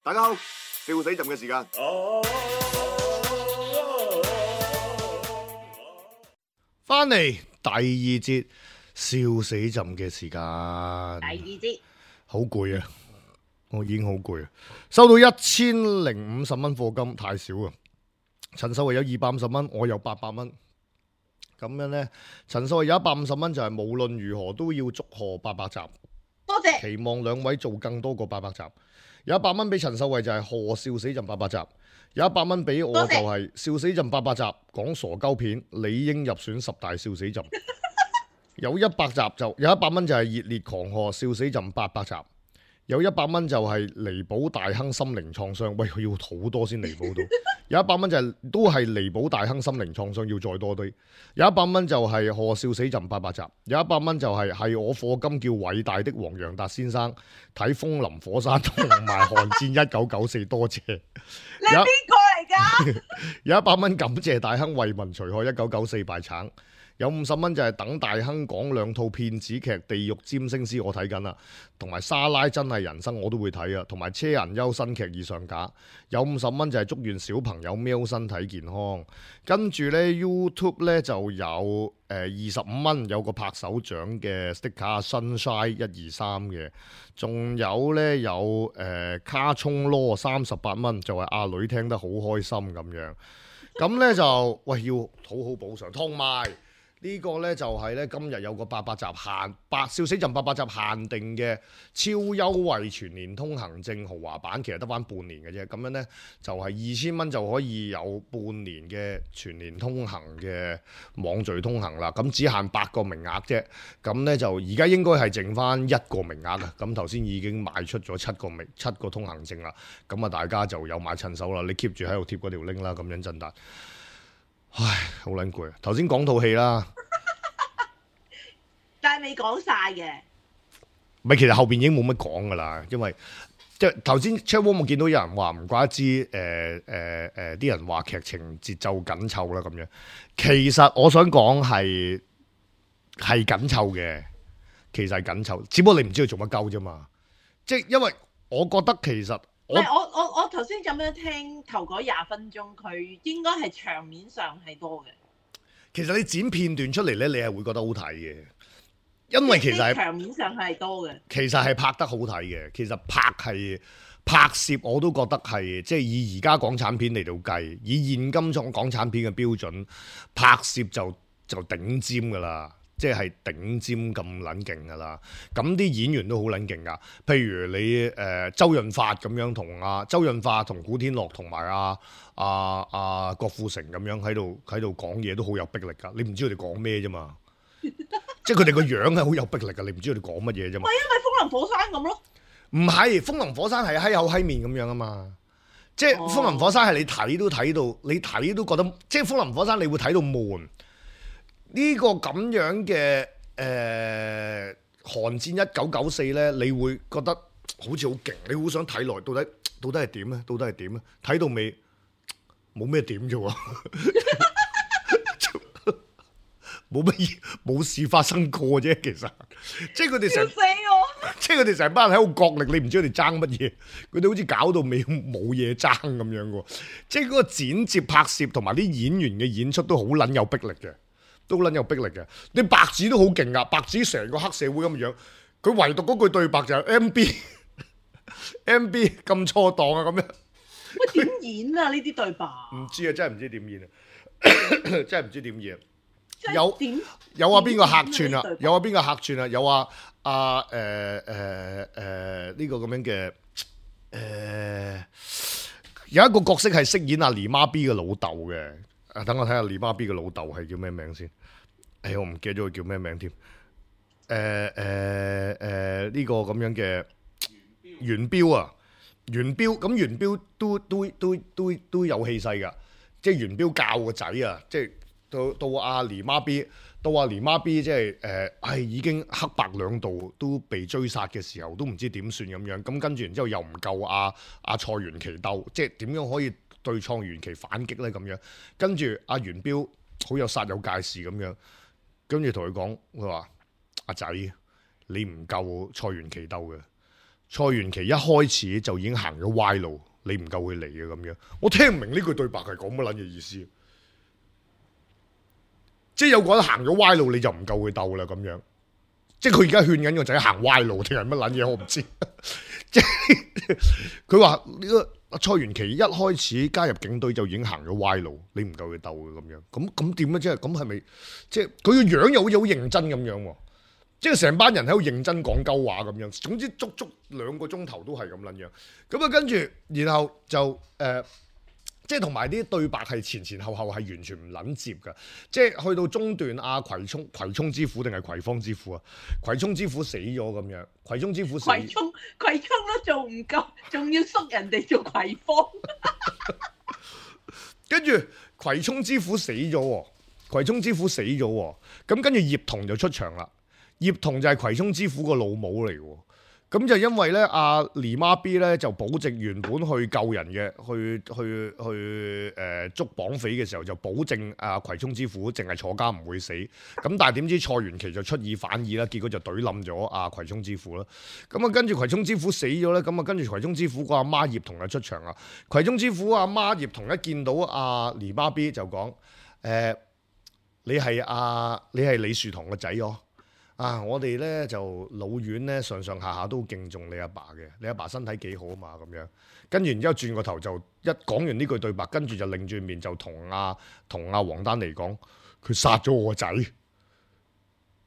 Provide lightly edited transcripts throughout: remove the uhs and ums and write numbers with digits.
大家好，笑死朕嘅時間。翻嚟第二節笑死朕嘅時間。第二節好攰啊！我已經好攰啊！收到1050蚊課金太少啊！陳秀慧有250蚊，我有800蚊。咁樣呢，陳秀慧有150蚊，就係無論如何都要祝賀800集。多謝。期望兩位做更多過800集。有100蚊俾陳秀慧就係賀笑死朕800集。有100蚊俾我就係笑死朕800集，講傻鳩片，理應入選10大笑死朕。有100集就有100蚊就係熱烈狂賀笑死朕800集。有100蚊就係彌補大亨心靈創傷，喂，佢要好多先彌補到。有100蚊就係都係彌補大亨心靈創傷，要再多啲。有100蚊就係賀笑死朕800集。有100蚊就係我課金叫偉大的黃洋達先生睇《風林火山》同埋《寒戰1994》，多謝。你係邊個嚟㗎？有100蚊感謝大亨為民除害1994敗橙。有50蚊就係等大亨講2套騙子劇《地獄占星師》，我睇緊啦，同埋沙拉真係人生我都會睇啊，同埋車銀優新劇以上架。有50蚊就係祝願小朋友喵身體健康。跟住呢 YouTube 呢就有25蚊有個拍手掌嘅 sticker Sunshine 123嘅，仲有呢有卡葱羅38蚊就係阿女聽得好開心咁樣。咁呢就喂要好好補償，同埋。呢個呢就係呢今日有個800集笑死朕800集限定嘅超優惠全年通行證豪華版，其實得返半年嘅啫。咁樣呢就係2000蚊就可以有半年嘅全年通行嘅網序通行啦。咁只限8個名額啫。咁呢就而家應該係剩返1個名額啊。咁頭先已經賣出咗7個通行證啦。咁啊大家就有買趁手啦。你 keep 住喺度貼嗰條 link 啦。咁樣真達。唉，好撚攰啊！頭先講套戲啦，但係未講晒嘅。唔係，其實後邊已經冇乜講噶啦，因為即係頭先 chat room 我見到有人話唔怪得知啲人話劇情節奏緊湊啦咁樣。其實我想講係緊湊嘅，其實係緊湊，只不過你唔知佢做乜鳩啫嘛。即係因為我覺得其實唔係我頭先咁樣聽頭嗰20分鐘，佢應該係場面上係多嘅。其實你剪片段出嚟咧，你係會覺得好睇嘅，因為其實係場面上係多嘅。其實係拍得好睇嘅，其實拍攝我都覺得係即係以而家港產片嚟到計，以現今種港產片嘅標準，拍攝就頂尖噶啦。即係頂尖咁撚勁㗎啦，咁啲演員都好撚勁㗎。譬如你周潤發咁樣周潤發同古天樂同埋郭富城咁樣喺度講嘢都好有逼力㗎。你唔知佢哋講咩啫嘛？即係佢哋個樣係好有逼力㗎。你唔知佢哋講乜嘢啫嘛？咪因為風林火山咁咯。唔係風林火山係閪口閪面咁樣啊嘛。即係風林火山係你睇都睇到，你睇都覺得即係風林火山你會睇到悶。呢個咁樣嘅寒戰1994呢，你會覺得好似好勁，你好想睇落，到底係點呢？到底係點呢？睇到尾冇咩點啫喎，冇乜嘢，冇事發生過啫。其實即係佢哋成，即係佢哋成班人喺度角力，你唔知佢哋爭乜嘢，佢哋好似搞到尾冇嘢爭咁樣喎。即係嗰個剪接拍攝同埋啲演員嘅演出都好撚有逼力嘅。都撚有逼力嘅，你白紙都好勁噶，白紙成個黑社會咁嘅樣，佢唯獨嗰句對白就係 MB 咁錯檔啊咁樣。喂，點演啊？呢啲對白？唔知啊，真係唔知點演啊，真係唔知點演。有話邊個客串啊？有話邊個客串啊？有話呢個咁樣嘅有一個角色係飾演阿黎媽 B 嘅老豆嘅。等我睇下黎媽 B 嘅老豆係叫咩名先？我唔記得咗佢叫咩名添。呢個咁樣嘅元彪啊，元彪咁元彪都有氣勢㗎。即係元彪教個仔啊，即係到阿黎媽 B， 即係已經黑白兩道都被追殺嘅時候，都唔知點算咁樣。咁跟住然之後又唔夠阿蔡元奇鬥，即係點樣可以對創元奇反擊咧咁樣，跟住阿元彪好有煞有介事咁樣，跟住同佢講，佢話阿仔，你唔夠蔡元奇鬥嘅，蔡元琪一開始就已經行咗歪路，你唔夠佢嚟嘅咁樣。我聽唔明呢句對白係講乜撚嘅意思。即係有個人行咗歪路，你就唔夠佢鬥啦咁樣。即係佢而家勸緊個仔行歪路定係乜撚嘢，我唔知。即係佢話呢個蔡元琪一開始加入警隊就已經行咗歪路，你唔夠佢鬥嘅咁樣。咁點啊？即係咁係咪？即係佢個樣又好似好認真咁樣喎。即係成班人喺度認真講鳩話咁樣。總之足足2個鐘頭都係咁撚樣。咁啊跟住，然後就即係同埋啲對白係前後係完全唔撚接㗎，即係去到中段阿葵涌之虎定係葵芳之虎啊？葵涌之虎死咗咁樣，葵涌之虎死，葵涌都做唔夠，仲要縮人哋做葵芳。跟住葵涌之虎死咗喎，葵涌之虎死咗喎，咁跟住葉童就出場啦，葉童就係葵涌之虎個老母嚟喎。咁就因為咧，阿狸媽 B 咧就保證原本去救人嘅，去捉綁匪嘅時候就保證阿葵涌之虎淨係坐監唔會死。咁但係點知蔡元琪就出爾反爾啦，結果就懟冧咗阿葵涌之虎啦。咁啊跟住葵涌之虎死咗咧，咁啊跟住葵涌之虎個阿媽葉童就出場啦。葵涌之虎阿媽葉童一見到阿狸媽 B 就講：你係李樹桐個仔哦。啊！我哋咧就老院咧上下都敬重你阿爸嘅，你阿爸身體幾好啊嘛咁樣。跟住然之後轉個頭就一講完呢句對白，跟住就擰轉面就同阿黃丹妮講，佢殺咗我個仔，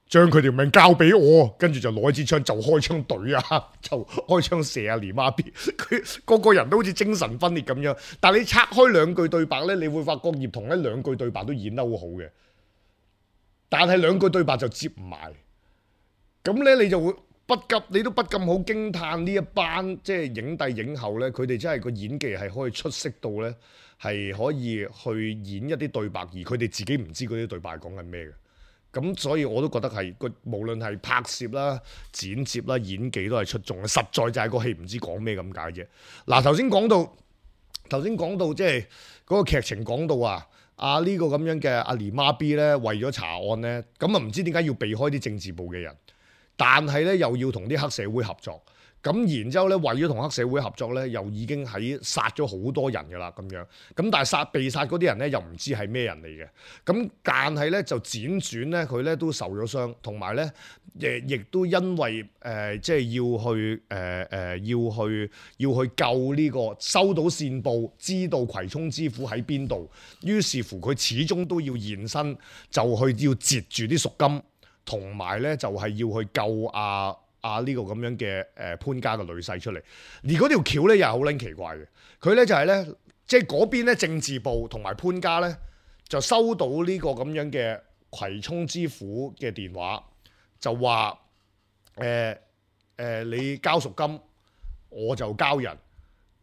將佢條命交俾我，跟住就攞支槍就開槍懟啊，就開槍射阿狸媽 B。佢個人都好似精神分裂咁樣。但係你拆開2句對白咧，你會發覺葉童咧2句對白都演得好好嘅，但係2句對白就接唔埋。咁咧，你就會你都不禁好驚歎呢一班即係影帝影后咧，佢哋真係個演技係可以出色到咧，係可以去演一啲對白，而佢哋自己唔知嗰啲對白講緊咩嘅。咁所以我都覺得係無論係拍攝啦、剪接啦、演技都係出眾嘅，實在就係個戲唔知講咩咁解啫。嗱，頭先講到即係嗰個劇情講到啊呢個咁樣嘅阿狸媽 B 咧，為咗查案咧，咁啊唔知點解要避開啲政治部嘅人。但係咧又要同啲黑社會合作，咁然之後咧為咗同黑社會合作咧，又已經喺殺咗好多人㗎啦咁樣，咁但係被殺嗰啲人咧又唔知係咩人嚟嘅，咁但係咧就輾轉咧佢咧都受咗傷，同埋咧亦都因為即係要去救呢個收到線報，知道葵涌之虎喺邊度，於是乎佢始終都要現身，就去要截住啲贖金。同埋咧就係要去救呢個咁樣嘅潘家嘅女婿出嚟，而嗰條橋咧又係好撚奇怪嘅，佢咧就係咧即係嗰邊咧政治部同埋潘家咧就收到呢個咁樣嘅葵涌之虎嘅電話，就話你交贖金，我就交人。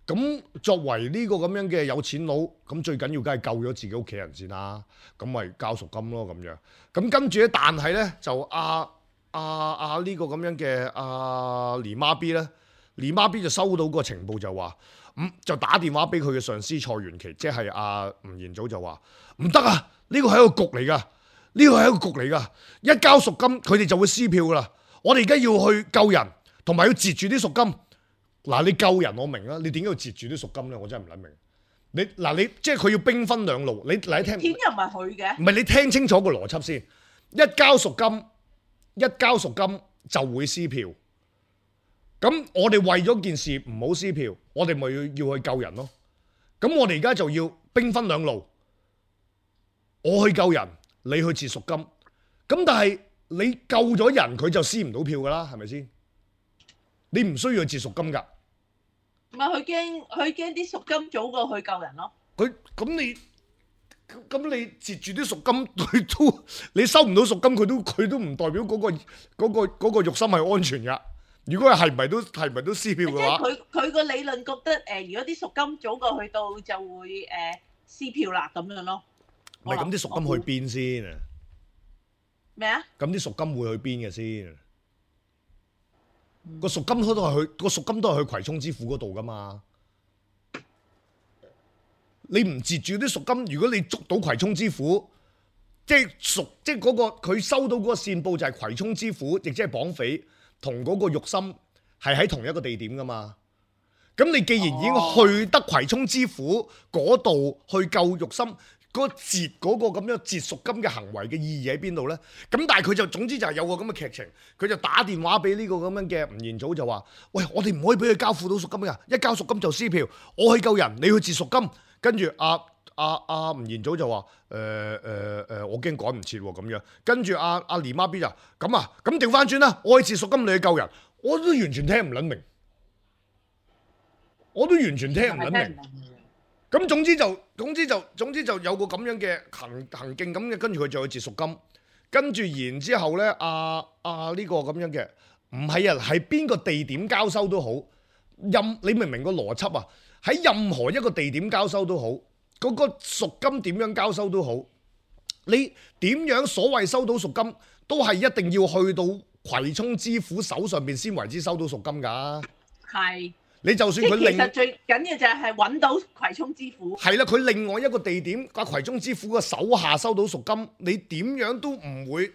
咁作為呢個咁樣嘅有錢佬，咁最緊要梗係救咗自己屋企人先啦，咁咪交贖金咯咁樣。咁跟住咧，但係咧就呢個咁樣嘅狸媽 B 咧，狸媽 B 就收到個情報就話，就打電話俾佢嘅上司蔡元琪，即係吳彥祖就話唔得啊，呢個係一個局嚟㗎，呢個係一個局嚟㗎，一交贖金佢哋就會撕票㗎啦。我哋而家要去救人，同埋要截住啲贖金。嗱，你救人我明啦，你點解要截住啲贖金咧？我真係唔諗明。你即係佢要兵分兩路，你聽錢又唔係佢嘅，唔係你聽清楚個邏輯先。一交贖金就會撕票。咁我哋為咗件事唔好撕票，我哋咪要去救人咯。咁我哋而家就要兵分兩路，我去救人，你去截贖金。咁但係你救咗人，佢就撕唔到票噶啦，係咪先？你唔需要去截贖金㗎。唔係佢驚啲贖金早過去救人咯。咁你截住啲贖金，佢都你收唔到贖金，佢都唔代表嗰個肉心係安全㗎。如果係咪都撕票嘅話，佢個理論覺得如果啲贖金早過去到就會撕票啦咁樣咯。唔係咁啲贖金去邊先啊？咩啊？咁啲贖金會去邊嘅先？個贖金都係去葵涌之虎嗰度噶嘛？你唔截住啲贖金，如果你捉到葵涌之虎，即係嗰個佢收到嗰個線報就係葵涌之虎，亦即係綁匪同嗰個肉心係喺同一個地點噶嘛。咁你既然已經去得葵涌之府嗰度去救玉心，嗰截嗰個咁樣截贖金嘅行為嘅意義喺邊度呢？咁但係佢就總之就係有個咁嘅劇情，佢就打電話俾呢個咁樣嘅吳彥祖就話：喂，我哋唔可以俾佢交付到贖金㗎，一交贖金就撕票。我去救人，你去截贖金。跟住吳彥祖就話：我驚趕唔切喎咁樣。跟住阿連媽 B 就咁啊，咁調翻轉啦，我去截贖金，你去救人，我都完全聽唔撚明。我都完全聽唔撚明，咁總之就有個咁樣嘅行徑咁嘅，跟住佢就去截贖金，跟住然之後咧，呢個咁樣嘅唔係啊，係邊個地點交收都好，你明唔明個邏輯啊？喺任何一個地點交收都好，嗰個贖金點樣交收都好，你點樣所謂收到贖金，都係一定要去到葵涌知府手上邊先為之收到贖金㗎。係。你就算佢其實最緊要就係揾到葵涌知府。係啦，佢另外一個地點，葵涌知府嘅手下收到贖金，你點樣都唔會。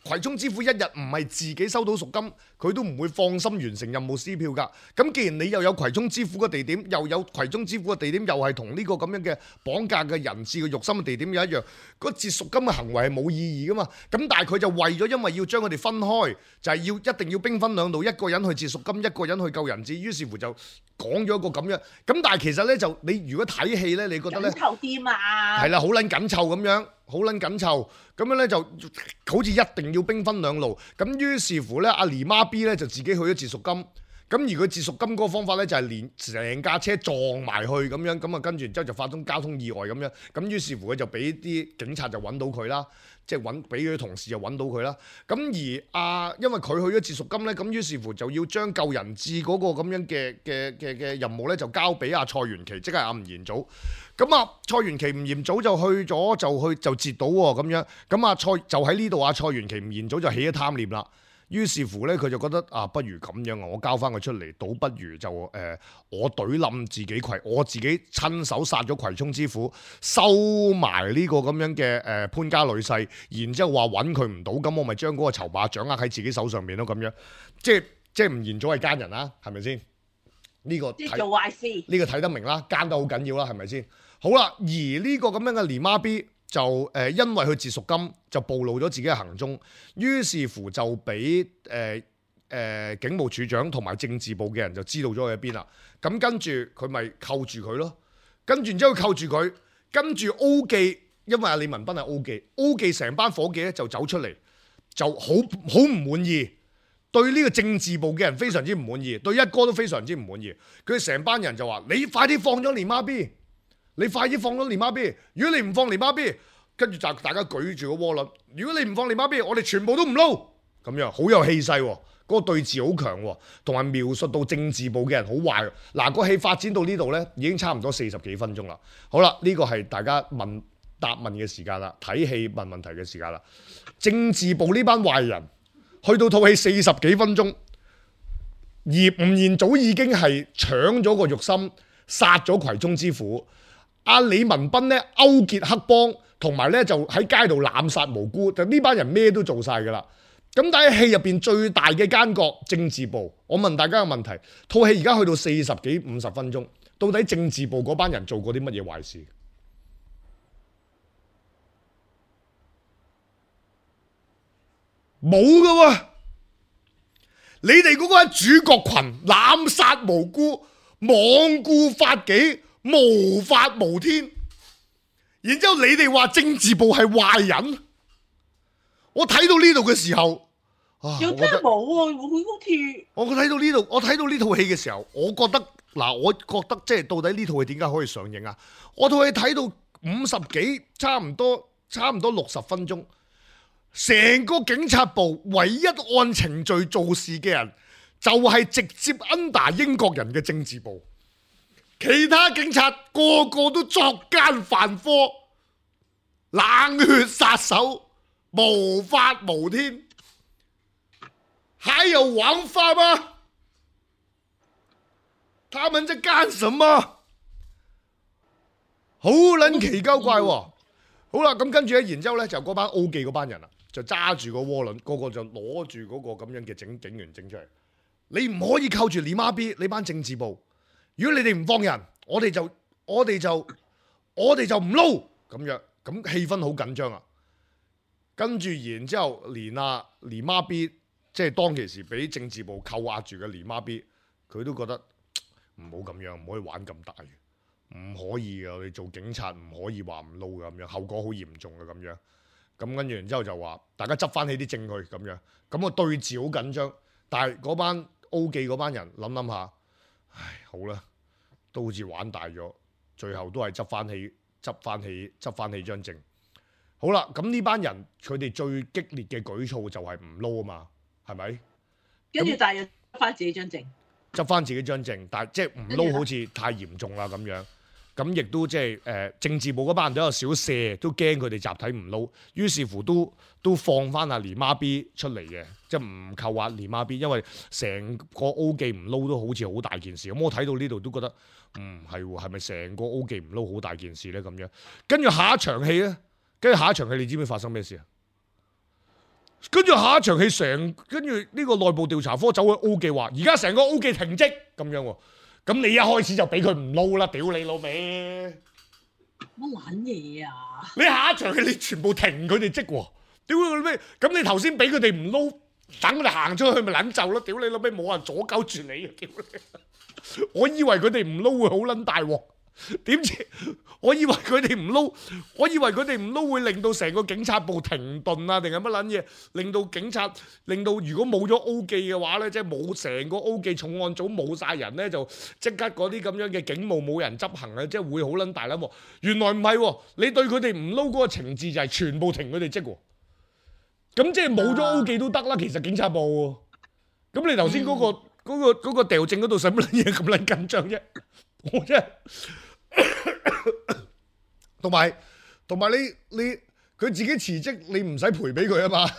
葵涌知府一日唔係自己收到贖金，佢都唔會放心完成任務撕票㗎。咁既然你又有葵涌知府嘅地點，又有葵涌知府嘅地點，又係同呢個咁樣嘅綁架嘅人質嘅肉心嘅地點有一樣，嗰截贖金嘅行為係冇意義㗎嘛。咁但係佢就為咗因為要將佢哋分開，就係一定要兵分兩路，一個人去截贖金，一個人去救人質。於是乎就講咗一個咁樣。咁但係其實呢，就你如果睇戲呢，你覺得呢？緊湊啲嘛。係啦，好撚緊湊咁樣。好撚緊湊，咁樣咧就好似一定要兵分兩路，咁於是乎咧，阿姨媽 B 咧就自己去咗截贖金，咁而佢截贖金嗰個方法咧就係連成架車撞埋去咁樣，咁啊跟住然之後就發生交通意外咁樣，咁於是乎佢就俾啲警察就揾到佢啦，即係俾佢啲同事就揾到佢啦，咁而因為佢去咗截贖金咧，咁於是乎就要將救人質嗰個咁樣嘅任務咧就交俾阿蔡元琪，即係阿吳彥祖。咁啊，蔡元琪吳彥祖就去咗，就截到喎咁樣。咁啊，就喺呢度啊，蔡元琪吳彥祖就起咗貪念啦。於是乎咧，佢就覺得不如咁樣啊，我交翻佢出嚟，倒不如就我懟冧自己我自己親手殺咗葵涌之府，收埋呢個咁樣嘅潘家女婿，然之後話揾佢唔到，咁我咪將嗰個籌碼掌握喺自己手上面咯，咁樣。即係吳彥祖係奸人啦，係咪先？呢個即係做壞事，呢個睇得明啦，奸得好緊要啦，係咪先？好啦，而呢個咁樣嘅連媽 B 就因為佢截贖金就暴露咗自己嘅行蹤，於是乎就俾警務處長同埋政治部嘅人就知道咗佢喺邊啦。咁跟住佢咪扣住佢咯，跟住然之後扣住佢，跟住 O 記，因為阿李文斌係 O 記成班伙計咧就走出嚟，就好唔滿意。對呢個政治部嘅人非常之唔滿意，對一哥都非常之唔滿意。佢成班人就話：你快啲放咗連媽 B！你快啲放咗連媽 B！如果你唔放連媽 B， 跟住就大家舉住個窩輪。如果你唔放連媽 B， 我哋全部都唔撈。咁樣好有氣勢喎，嗰個對峙好強喎，同埋描述到政治部嘅人好壞。嗱，個戲發展到呢度呢，已經差唔多40幾分鐘啦。好啦，呢個係大家答問嘅時間啦，睇戲問問題嘅時間啦。政治部呢班壞人去到套戲40幾分鐘，而吳彥祖已經係搶咗個玉心，殺咗葵涌之府。阿李文斌咧勾結黑幫，同埋咧就喺街度濫殺無辜，就呢班人咩都做晒噶啦。咁但係戲入邊最大嘅奸角政治部，我問大家個問題：套戲而家去到40幾50分鐘，到底政治部嗰班人做過啲乜嘢壞事？冇噶喎！你哋嗰個主角群濫殺無辜，罔顧法紀，無法無天，然之後你哋話政治部係壞人，我睇到呢度嘅時候，又真係冇喎，佢好似我睇到呢度，我睇到呢套戲嘅時候，我覺得即係到底呢套戲點解可以上映啊？我套戲睇到50幾，差唔多60分鐘，成個警察部唯一按程序做事嘅人，就係直接 under 英國人嘅政治部。其他警察個個都作奸犯科，冷血殺手，無法無天，還有王法嗎？他們在幹什麼？好撚奇鳩怪喎！好啦，咁跟住咧，然之後咧就嗰班 O 記嗰班人啦，就揸住個渦輪，個個就攞住嗰個咁樣嘅警員整出嚟。你唔可以靠住連媽 B 你班政治部，如果你哋唔放人，我哋就唔撈咁樣，咁氣氛好緊張啊！跟住然之後，連媽 B 即係當其時俾政治部扣押住嘅連媽 B，佢都覺得唔好咁樣，唔可以玩咁大，唔可以嘅，我哋做警察唔可以話唔撈嘅咁樣，後果好嚴重嘅咁樣。咁跟住然之後就話大家執翻起啲證據咁樣，咁個對峙好緊張。但係嗰班 O 記嗰班人諗下，唉好啦，都好似玩大咗，最後都係執翻起張證。好啦，咁呢班人佢哋最激烈嘅舉措就係唔撈啊嘛，係咪？跟住但係執翻自己張證，執翻自己張證，但係即係唔撈好似太嚴重啦咁樣。咁亦都即係政治部嗰班人都有少射，都驚佢哋集體唔撈，於是乎都放翻阿連媽 B 出嚟嘅，即係唔扣押連媽 B，因為成個 O 記唔撈都好似好大件事。咁我睇到呢度都覺得係咪成個 O 記唔撈好大件事咧咁樣？跟住下一場戲咧，你知唔知發生咩事啊？跟住下一場戲跟住呢個內部調查科走去 O 記話，而家成個 O 記停職咁樣喎。咁你一開始就俾佢唔撈啦，屌你老味！乜撚嘢啊？你下一場戲你全部停佢哋職喎，屌你老味！咁你頭先俾佢哋唔撈，等佢哋行出去咪撚就咯，屌你老味！冇人阻鳩住你啊，屌你！我以為佢哋唔撈會好撚大鑊。點知我以為佢哋唔撈會令到成個警察部停頓啊，定係乜撚嘢？令到如果冇咗 O 記嘅話咧，即係冇成個 O 記重案組冇晒人咧，就即刻嗰啲咁樣嘅警務冇人執行啊，即係會好撚大撚喎。原來唔係喎，你對佢哋唔撈嗰個情節就係全部停佢哋職喎。咁即係冇咗 O 記都得啦，其實警察部。咁你頭先嗰個掉證嗰度使乜撚嘢咁撚緊張啫？我真係。同埋你佢自己辭職，你唔使賠俾佢啊嘛，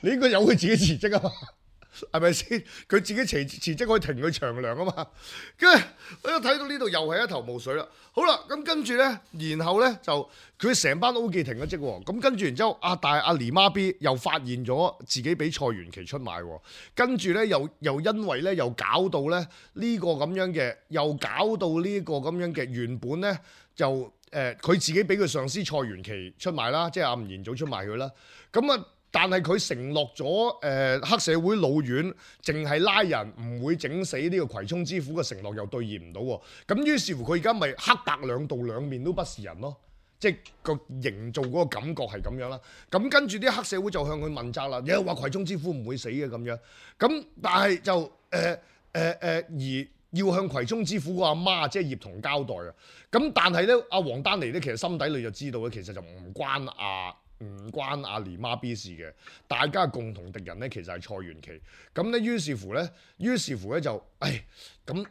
你應該由佢自己辭職啊嘛，係咪先？佢自己辭職可以停佢長糧啊嘛。跟住我一睇到呢度又係一頭霧水啦。好啦，咁跟住咧，然後咧就佢成班 O 記停咗職喎。咁跟住然之後，但係阿連媽 B 又發現咗自己俾蔡元琪出賣喎。跟住咧又因為咧又搞到咧呢個咁樣嘅，又搞到呢個咁樣嘅原本咧就佢自己俾佢上司蔡元琪出賣啦，即係阿吳彥祖出賣佢啦。咁啊，但係佢承諾咗黑社會老院淨係拉人唔會整死呢個葵涌之虎嘅承諾又兌現唔到喎。咁於是乎佢而家咪黑白兩道兩面都不是人咯。即係個營造嗰個感覺係咁樣啦。咁跟住啲黑社會就向佢問責啦，又話葵涌之虎唔會死嘅咁樣。咁但係就而要向葵涌之虎個阿媽即係葉童交代啊。咁但係咧，阿王丹妮咧其實心底裏就知道咧，其實就唔關阿連媽 B 事嘅。大家共同敵人咧其實係蔡元琪。咁咧於是乎咧就咁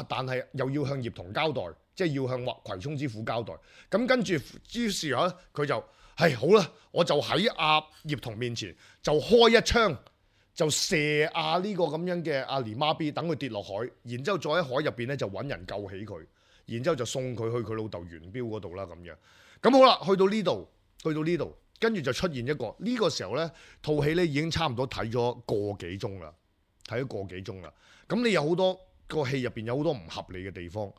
但係又要向葉童交代。即係要向葵涌之虎交代，咁跟住於是佢就好啦，我就喺阿葉童面前就開一槍，就射呢個咁樣嘅阿連媽 B，等佢跌落海，然之後再喺海入邊咧就揾人救起佢，然之後就送佢去佢老豆元彪嗰度啦咁樣。咁好啦，去到呢度，跟住就出現一個呢個時候咧，套戲咧已經差唔多睇咗個幾鐘啦。咁你有好多個戲入邊有好多唔合理嘅地方。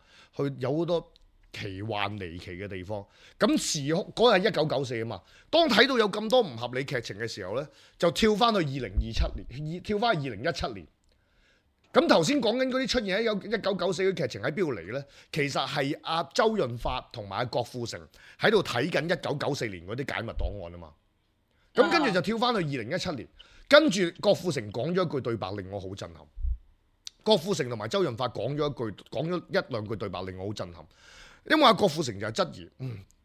有好多奇幻離奇嘅地方，咁時空嗰日係1994啊嘛。當睇到有咁多唔合理劇情嘅時候咧，就跳翻去2027年，跳翻去2017年。咁頭先講緊嗰啲出現喺1994嘅劇情喺邊度嚟咧？其實係阿周潤發同埋阿郭富城喺度睇緊1994年嗰啲解密檔案啊嘛。咁跟住就跳翻去2017年，跟住郭富城講咗一句對白令我好震撼。郭富城同埋周潤發講咗一兩句對白令我好震撼，因為阿郭富城就係質疑，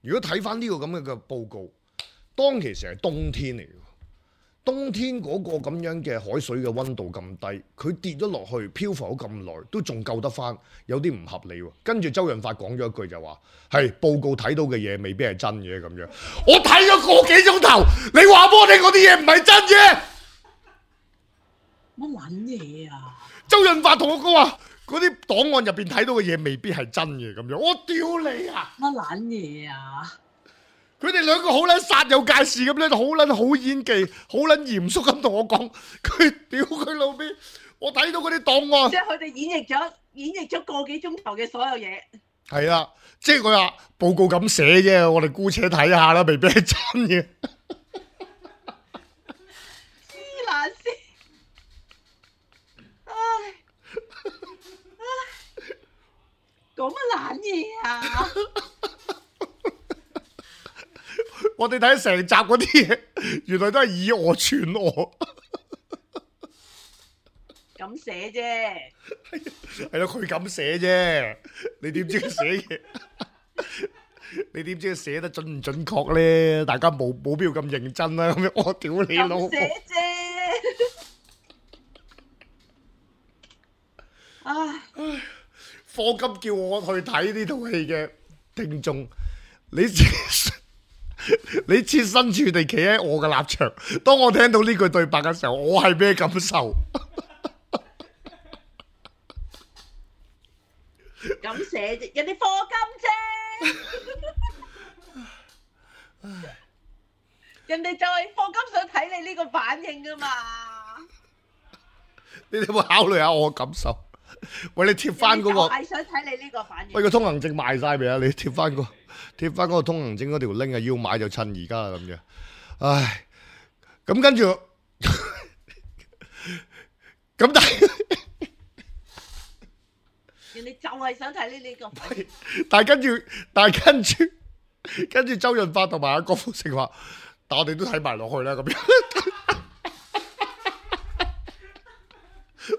如果睇翻呢個咁嘅報告，當其時係冬天嚟嘅，冬天嗰個咁樣嘅海水嘅溫度咁低，佢跌咗落去漂浮咗咁耐，都仲救得翻，有啲唔合理喎。跟住周潤發講咗一句就話：係報告睇到嘅嘢未必係真嘅咁樣。我睇咗個幾鐘頭，你話俾我聽嗰啲嘢唔係真嘅，乜撚嘢啊？周潤發同我講話，嗰啲檔案入邊睇到嘅嘢未必係真嘅咁樣，我屌你啊！乜撚嘢啊？佢哋兩個好撚煞有介事咁咧，好撚好演技，好撚嚴肅咁同我講，佢屌佢老味，我睇到嗰啲檔案即。係佢哋演繹咗個幾鐘頭嘅所有嘢。係啊，即係佢話報告咁寫啫，我哋姑且睇下啦，未必係真嘅。黐撚線，唉，講乜撚嘢啊？我哋睇成集嗰啲嘢，原來都係以訛傳訛。咁寫啫，係咯，佢咁寫啫，你點知佢寫嘢？你點知佢寫得準唔準確咧？大家冇必要咁認真啦。咁樣我屌你老母！咁寫啫。唉，課金叫我去睇呢套戲嘅聽眾，你設身處地企喺我嘅立場，當我聽到呢句對白嘅時候，我係咩感受？咁寫啫，人哋課金啫，人哋就係課金想睇你呢個反應㗎嘛。你哋有冇考慮下我嘅感受？喂，你貼翻嗰個，係想睇你呢個反應。喂，個通行證賣晒未啊？你貼翻嗰個通行證嗰條 link 啊，要買就趁而家啦咁樣。唉，咁跟住，咁但係。人哋就係想睇呢個反應。但係跟住周潤發同埋阿郭富城話，但我哋都睇埋落去啦咁樣，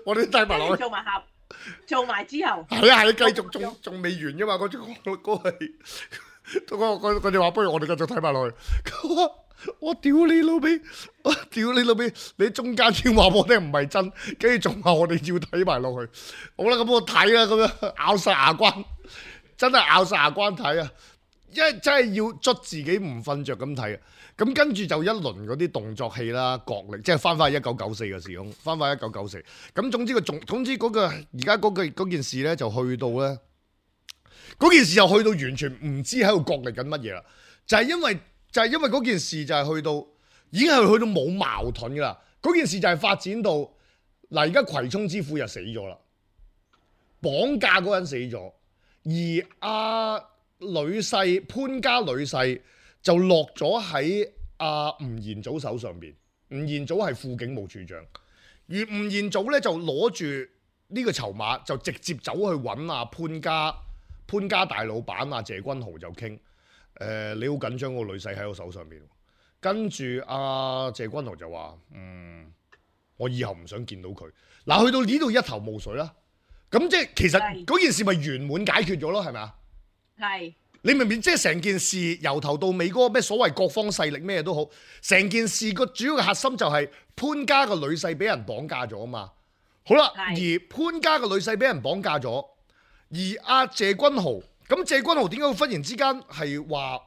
我哋都睇埋落去。做埋之後。係啊，繼續仲未完噶嘛？嗰係佢哋話不如我哋繼續睇埋落去。我屌你老味！你中間先話我聽唔係真，跟住仲話我哋要睇埋落去。好啦，咁我睇啦，咁樣咬晒牙關，真係咬晒牙關睇啊！因為真係要捽自己唔瞓着咁睇啊！咁跟住就一輪嗰啲動作戲啦，角力，即係翻返去1994嘅時空，翻返1994。咁總之嗰個而家嗰件事咧，就去到咧，嗰件事就去到完全唔知喺度角力緊乜嘢啦，就係因為嗰件事就係去到已經係去到冇矛盾噶啦。嗰件事就係發展到嗱，而家葵涌之虎就死咗啦，綁架嗰人死咗，而阿女婿潘家女婿就落咗喺阿吳彥祖手上邊。吳彥祖係副警務處長，而吳彥祖咧就攞住呢個籌碼，就直接走去揾阿潘家大老闆阿謝君豪就傾，你好緊張個女婿喺我手上邊。跟住阿謝君豪就話：我以後唔想見到佢。嗱，去到呢度一頭霧水啦。咁即係其實嗰件事咪圓滿解決咗咯，係咪啊？係。你明唔明？即係成件事由頭到尾嗰個咩所謂各方勢力咩都好，成件事個主要嘅核心就係潘家個女婿俾人綁架咗啊嘛。好啦，而潘家個女婿俾人綁架咗，而阿謝君豪，咁謝君豪點解會忽然之間係話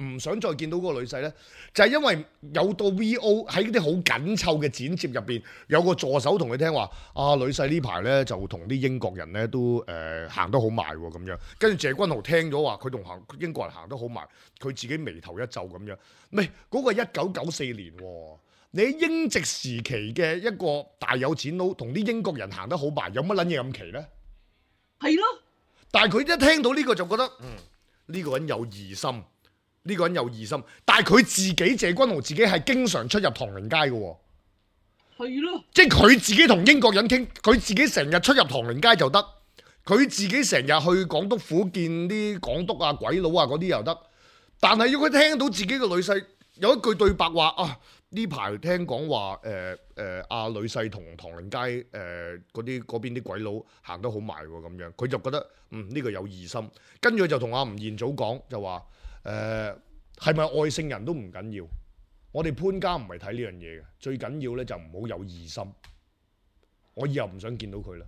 唔想再見到嗰個女婿呢？就係因為有到 VO 喺啲好緊湊嘅剪接入邊，有個助手同佢聽話，女婿呢排呢就同啲英國人呢都行得好埋喎咁樣。跟住謝君豪聽咗話，佢同英國人行得好埋，佢自己眉頭一皺咁樣。唔係嗰個1994年喎，你喺英殖時期嘅一個大有錢佬同啲英國人行得好埋，有乜撚嘢咁奇呢？係咯。但係佢一聽到呢個就覺得，呢個人有疑心。呢個人有疑心，但係佢自己謝君豪自己係經常出入唐寧街嘅喎，係咯，即係佢自己同英國人傾，佢自己成日出入唐寧街就得，佢自己成日去港督府見啲港督啊、鬼佬啊嗰啲又得，但係如果佢聽到自己嘅女婿有一句對白話呢排聽講話阿女婿同唐寧街嗰邊啲鬼佬行得好埋喎咁樣，佢就覺得呢個有疑心，跟住就同阿吳彥祖講就話。係咪外姓人都唔緊要？我哋潘家唔係睇呢樣嘢嘅，最緊要咧就唔好有疑心。我以後唔想見到佢啦，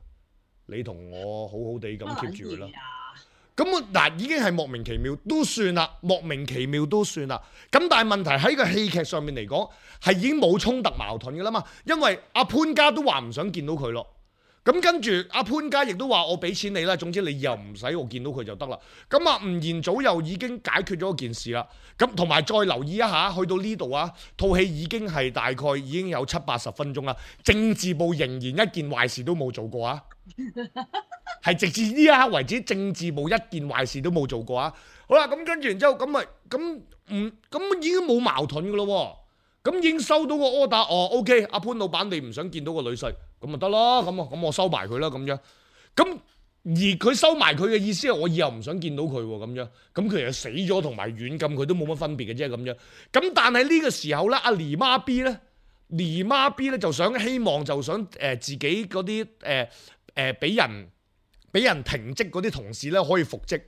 你同我好好地咁 keep 住佢啦。咁嗱，已經係莫名其妙都算啦，莫名其妙都算啦。咁但係問題喺個戲劇上面嚟講，係已經冇衝突矛盾噶啦嘛。因為阿潘家都話唔想見到佢咯。咁跟住阿潘家亦都話我俾錢你啦，總之你以後唔使我見到佢就得啦。咁啊吳彥祖又已經解決咗件事啦。咁同埋再留意一下，去到呢度啊，套戲已經係大概已經有70-80分鐘啦。政治部仍然一件壞事都冇做過啊，係直至呢一刻為止，政治部一件壞事都冇做過啊。好啦，咁跟住然之後咁已經冇矛盾噶咯。咁已經收到個 order，OK， 阿潘老闆你唔想見到個女婿，咁咪得咯，咁我收埋佢啦咁樣。咁而佢收埋佢嘅意思係我以後唔想見到佢喎咁樣。咁佢其實死咗同埋軟禁佢都冇乜分別嘅啫咁樣。咁但係呢個時候咧，阿黎媽 B 咧就想自己嗰啲俾人停職嗰啲同事咧可以復職。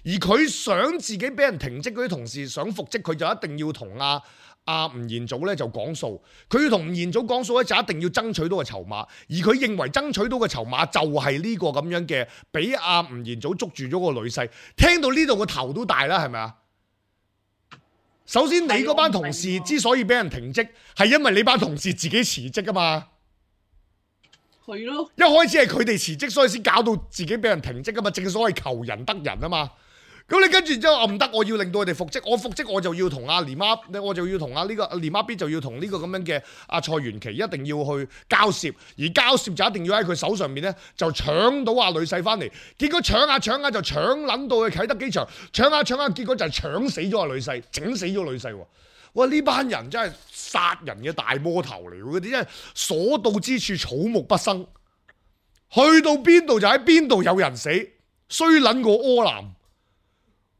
而佢想自己俾人停職嗰啲同事想復職，佢就一定要同阿吳彥祖咧就講數，佢要同吳彥祖講數咧就一定要爭取到個籌碼，而佢認為爭取到個籌碼就係呢個咁樣嘅，俾阿吳彥祖捉住咗個女婿。聽到呢度個頭都大啦，係咪啊？首先你嗰班同事之所以俾人停職，係因為你班同事自己辭職啊嘛。係咯，一開始係佢哋辭職，所以先搞到自己俾人停職啊嘛。正所謂求人得人啊嘛。咁你跟住之後唔得，我要令到佢哋復職。我復職我就要同阿連媽，我就要同阿呢個連媽 B 就要同呢個咁樣嘅阿蔡元琪一定要去交涉，而交涉就一定要喺佢手上面咧就搶到阿女婿翻嚟。結果搶下就搶撚到去啟德機場，搶下結果就係搶死咗阿女婿，整死咗女婿喎！哇！呢班人真係殺人嘅大魔頭嚟，嗰啲真係所到之處草木不生，去到邊度就喺邊度有人死，衰撚過柯南。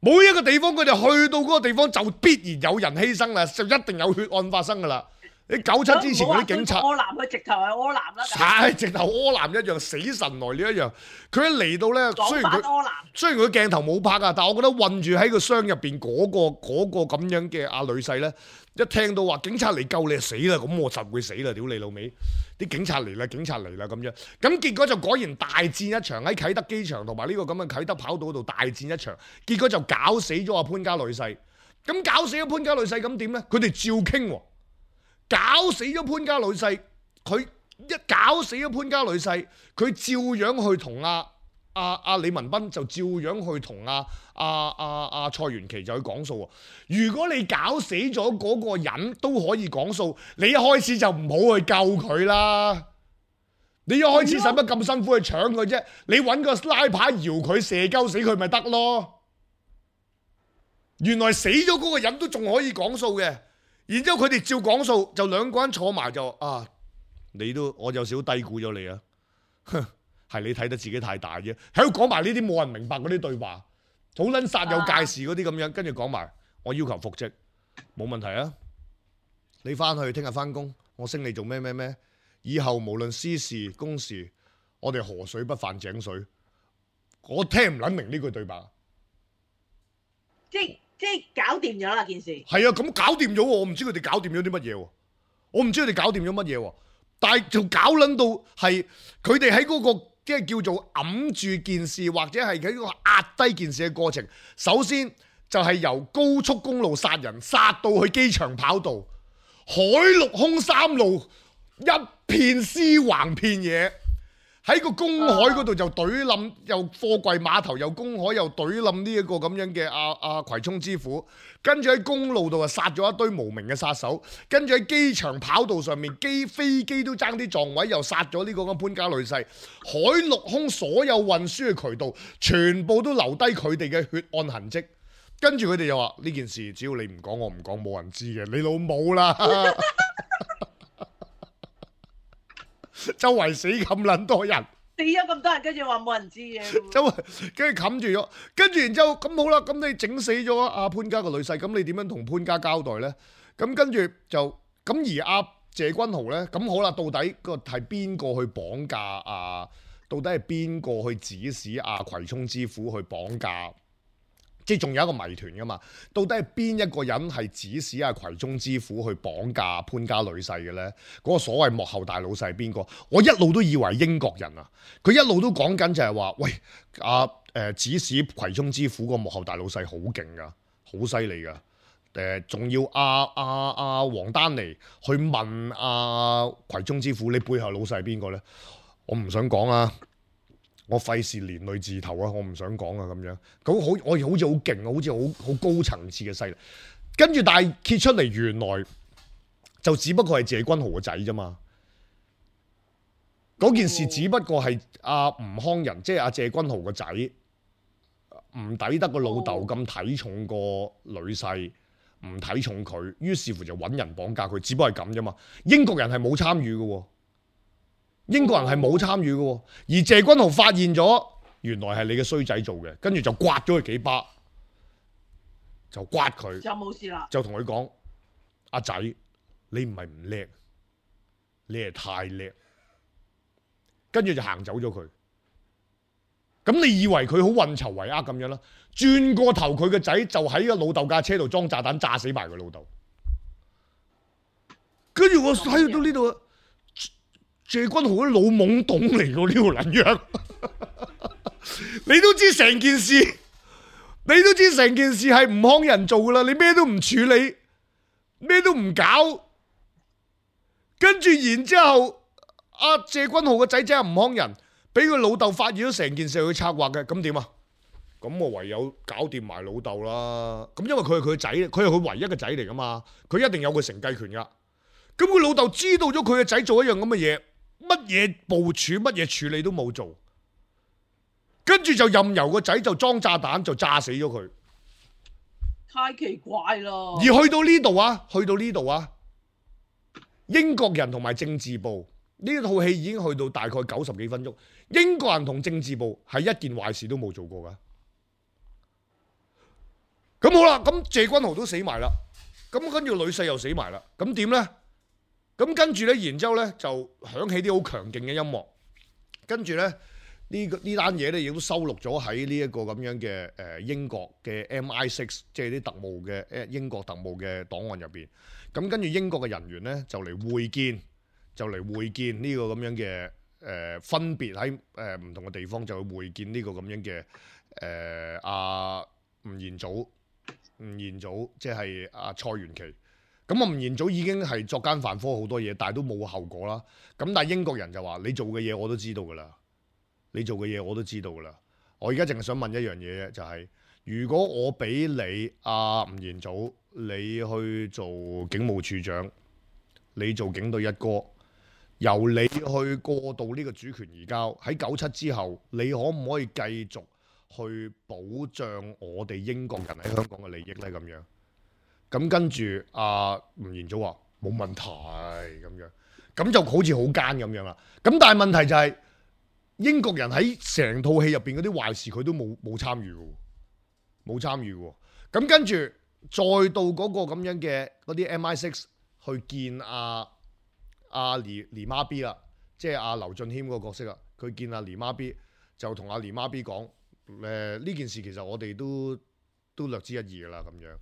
每一個地方佢哋去到嗰個地方就必然有人犧牲啦，就一定有血案發生噶啦。你97之前嗰啲警察，柯南佢直頭係柯南啦，係直頭柯南一樣，死神來了一樣。佢一嚟到咧，雖然佢鏡頭冇拍啊，但係我覺得韞住喺個箱入邊嗰個咁樣嘅阿女婿咧，一聽到話警察嚟救你就死啦，咁我實會死啦，屌你老味！啲警察嚟啦咁樣，咁結果就果然大戰一場喺啟德機場同埋呢個咁嘅啟德跑道度大戰一場，結果就搞死咗阿潘家女婿。咁搞死咗潘家女婿咁點咧？佢哋照傾喎。搞死咗潘家女婿，佢一搞死咗潘家女婿，佢照樣去同阿李文斌就照樣去同阿蔡元琪就去講數。如果你搞死咗嗰個人都可以講數，你一開始就唔好去救佢啦。你一開始使乜咁辛苦去搶佢啫？你揾個拉牌搖佢射鳩死佢咪得咯？原來死咗嗰個人都仲可以講數嘅。然之後佢哋照講數，就兩個人坐埋就我有少少低估咗你啊！係你睇得自己太大啫，喺度講埋呢啲冇人明白嗰啲對話，好撚煞有介事嗰啲咁樣，跟住講埋我要求復職，冇問題啊！你翻去聽日翻工，我升你做咩？以後無論私事公事，我哋河水不犯井水。我聽唔撚明呢句對白。即係搞掂咗啦件事。係啊，咁搞掂咗喎，我唔知佢哋搞掂咗啲乜嘢喎，但係就搞撚到係佢哋喺嗰個即係叫做揞住件事，或者係喺嗰個壓低件事嘅過程。首先就係由高速公路殺人，殺到去機場跑道，海陸空三路一片屍橫遍野。喺個公海嗰度就懟冧，又貨櫃碼頭又公海又懟冧呢一個咁樣嘅阿葵涌之虎，跟住喺公路度啊殺咗一堆無名嘅殺手，跟住喺機場跑道上面飛機都爭啲撞位，又殺咗呢個咁潘家女婿。海陸空所有運輸嘅渠道全部都留低佢哋嘅血案痕跡，跟住佢哋又話呢件事只要你唔講我唔講冇人知嘅，你老母啦！周圍死咁撚多人，死咗咁多人，跟住話冇人知嘅，周圍跟住冚住咗，跟住然之後咁好啦，咁你整死咗阿潘家個女婿，咁你點樣同潘家交代咧？咁跟住就咁而阿謝君豪咧，咁好啦，到底個係邊個去綁架啊？到底係邊個去指使阿葵涌之虎去綁架？即係仲有一個謎團噶嘛？到底係邊一個人係指使阿葵涌之虎去綁架潘家女婿嘅咧？嗰個所謂幕後大老細係邊個？我一路都以為英國人啊，佢一路都講緊就係話，喂，指使葵涌之虎個幕後大老細好勁噶，好犀利噶。仲要黃丹妮去問葵涌之虎，你背後老細係邊個咧？我唔想講啊，我費事連累字頭啊，我唔想講啊咁樣。咁好，我好似好勁啊，好似好高層次嘅勢力。跟住但係揭出嚟，原來就只不過係謝君豪個仔啫嘛。嗰件事只不過係阿吳康仁，即係阿謝君豪個仔，唔抵得個老豆咁睇重個女婿，唔睇重佢，於是乎就揾人綁架佢，只不過係咁啫嘛。英國人係冇參與嘅喎，英國人係冇參與嘅喎，而謝君豪發現咗，原來係你嘅衰仔做嘅，跟住就刮咗佢幾巴，就刮佢，就冇事啦，就同佢講：阿仔，你唔係唔叻，你係太叻。跟住就行走咗佢，咁你以為佢好運籌帷幄咁樣啦？轉過頭佢個仔就喺個老豆架車度裝炸彈炸死埋佢老豆。跟住我睇到呢度，謝君豪啲老懵懂嚟㗎呢個撚樣，你都知成件事，你都知成件事係吳康仁做㗎啦，你咩都唔處理，咩都唔搞，跟住然之後。阿謝君豪個仔即係吳康仁，俾佢老豆發現咗成件事去策劃嘅，咁點啊？咁我唯有搞掂埋老豆啦。咁因為佢係佢個仔，佢係佢唯一嘅仔嚟噶嘛，佢一定有個承繼權噶。咁佢老豆知道咗佢個仔做一樣咁嘅嘢，乜嘢部署、乜嘢處理都冇做，跟住就任由個仔就裝炸彈就炸死咗佢。太奇怪啦！而去到呢度啊，英國人同埋政治部。呢套戲已經去到大概90幾分鐘，英國人同政治部係一件壞事都冇做過噶。咁好啦，咁謝君豪都死埋啦，咁跟住女婿又死埋啦，咁點呢？咁跟住呢，然之後呢就響起啲好強勁嘅音樂，跟住呢呢單嘢呢亦都收錄咗喺呢一個咁樣嘅英國嘅 MI6，即係啲特務嘅英國特務嘅檔案入邊。咁跟住英國嘅人員呢就嚟會見。呢個咁樣嘅分別喺唔同嘅地方就去會見呢個咁樣嘅阿吳彥祖即係阿蔡元琪。咁吳彥祖已經係作奸犯科好多嘢，但係都冇後果啦。咁但係英國人就話：你做嘅嘢我都知道㗎啦，我而家淨係想問一樣嘢啫，就係、是、如果我俾你阿吳彥祖，你去做警務處長，你做警隊一哥。由你去過渡呢個主權移交，喺97之後，你可唔可以繼續去保障我哋英國人喺香港嘅利益呢？咁樣，咁跟住阿吳彥祖話冇問題咁樣，咁就好似好奸咁樣啦。咁但係問題就係、是、英國人喺成套戲入邊嗰啲壞事佢都冇參與喎。咁跟住再到嗰個咁樣嘅嗰啲 MI6 去見阿黎媽 B 啦，即係阿劉俊謙嗰個角色啦。佢見阿黎媽 B 就同阿黎媽 B 講：呢件事其實我哋都略知一二噶啦咁樣。